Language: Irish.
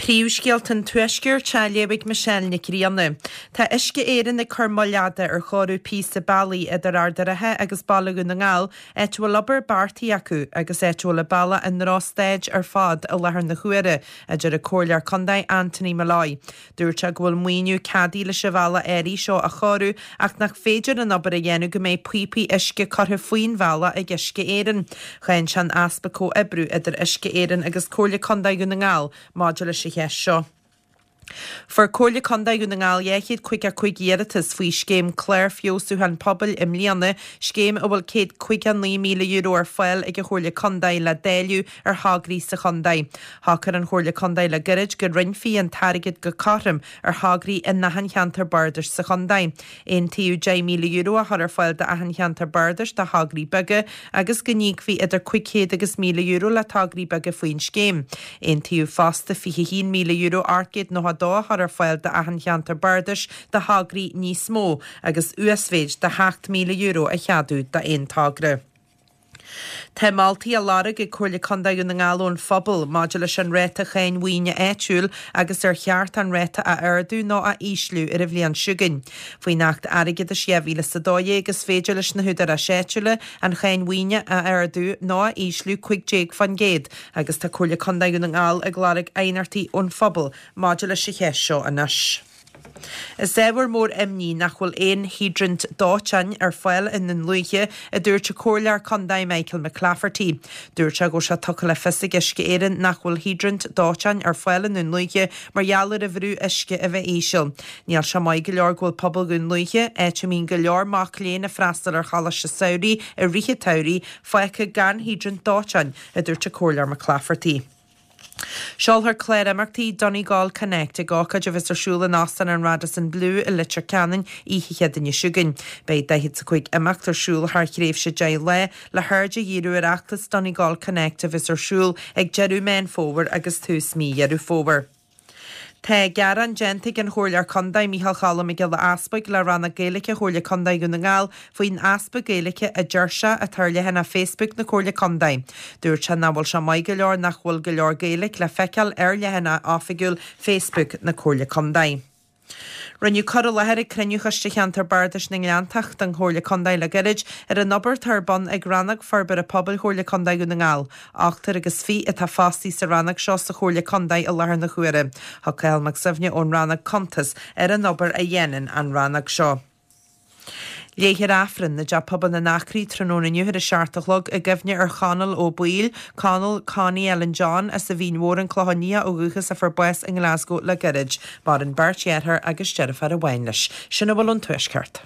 Príomhscéalta an Tuaiscirt á léamh ag Michelle Nic Grianna. Tá Uisce Éireann ag cur moill fhada ar chóiriú píosa bealaigh idir Ard an Rátha agus Baile Dhún na nGall, áit a bhfuil obair beartaithe acu agus áit a bhfuil an bealach i ndrochstaid ar fad i láthair na huaire, a deir an Comhairleoir Contae Anthony Molloy. Dúirt sé go bhfuil maoiniú ceadaithe leis an bhealach áirithe seo a chóiriú ach nach féidir an obair a dhéanamh go mbeidh píopaí uisce curtha faoin bhealach ag Uisce Éireann. Cháin sé an easpa comhoibriú idir Uisce Éireann agus Comhairle Contae Dhún na nGall maidir leis an cheist seo. Fuair Comhairle Contae Dhún na nGall 255 iarratas faoi scéim Clár Feabhsúcháin Pobail i mbliana, scéim a bhfuil €159,000 ar fáil ag an Chomhairle Contae le dáileadh ar thograí sa chontae. Shocair an Chomhairle Contae le gairid go roinnfí an t-airgead go cothrom ar thograí in achan cheantar bardais sa chontae. Aontaíodh €10,000 a chur ar fáil d'achan cheantar bardais do thograí beaga agus go n-íocfaí idir €500 agus €1,000 le tograí beaga faoin scéim. Aontaíodh fosta €21,892 a chur ar fáil d'achan cheantar bardais do thograí níos mó agus uasmhéid de €7,000 a cheadú d'aon togra. Tá moltaí á lorg ag Comhairle Contae Dhún na nGall ón phobal maidir leis an ráta cháin mhaoine áitiúil agus ar cheart an ráta a ardú nó a ísliú ar an bhliain seo chugainn. Faoin Acht Airgeadais 2012 is féidir leis na húdaráis áitiúla an cháin mhaoine a ardú nó a ísliú 15% agus tá Comhairle Contae Dhún na nGall ag lorg aighneachtaí ón phobal maidir leis an cheist seo anois. Is ábhar mór imní nach bhfuil aon hiodrant dóiteáin ar fáil i nDún Lúiche, a dúirt an Comhairleoir Contae Michael McClafferty. Dúirt sé go bhfuil sé tugtha le fios ag Uisce Éireann nach bhfuil hiodrant dóiteáin ar fáil i nDún Lúiche mar gheall ar an bhrú uisce a bheith íseal. Níl sé maith go leor go bhfuil pobal Dhún Lúiche, áit a mbíonn go leor mac léinn ag freastal ar choláiste samhraidh i rith an tsamhraidh, fágtha gan hiodrant dóiteáin, a dúirt an Comhairleoir McClafferty. Seolfar clár imeachtaí Donegal Connect ag ócáid a bheas ar siúl in Óstán an Radisson Blu i Leitir Ceanainn oíche Chéadaoine seo chugainn. Beidh 45 imeacht ar siúl thar thréimhse 10 lá le haird a dhíriú ar fheachtas Donegal Connect a bheas ar siúl ag deireadh Meán Fómhair agus tús mí Dheireadh Fómhair. Tá gearán déanta ag an Chomhairleoir Contae, Micheál Choilm Mac Giolla Easbuig, le Rannóg Gaeilge Chomhairle Contae Dhún na nGall faoin easpa Gaeilge a deir sé atá ar leathanach Facebook na Comhairle Contae. Dúirt sé nach bhfuil sé maith go leor nach bhfuil go leor Gaeilge le feiceáil ar leathanach oifigiúil Facebook na Comhairle Contae. Rinneadh cur i láthair ag cruinniú Choiste Cheantar Bardais na nGleanntach den Chomhairle Contae le gairid ar an obair atá ar bun ag Rannóg Forbartha Pobail Chomhairle Contae Dhún na nGall. Ochtar agus fiche atá fostaithe sa rannóg seo sa Chomhairle Contae i láthair na huaire. Thug Cathal Mac Suibhne ón rannóg cuntas ar an obair a dhéanann an rannóg seo. Léifear Aifreann i dTeach Pobail na nAcraí tráthnóna inniu ar a 7 a chlog i gcuimhne ar Chonall Ó Baoill, Conall Connie Ellen John, as an Mhín Mhór, An Clochán Liath ó dhúchas a fuair bás i nGlasgow le gairid. Maireann beirt dheartháir agus deirfiúr amháin leis. Sin a bhfuil ón Tuaisceart.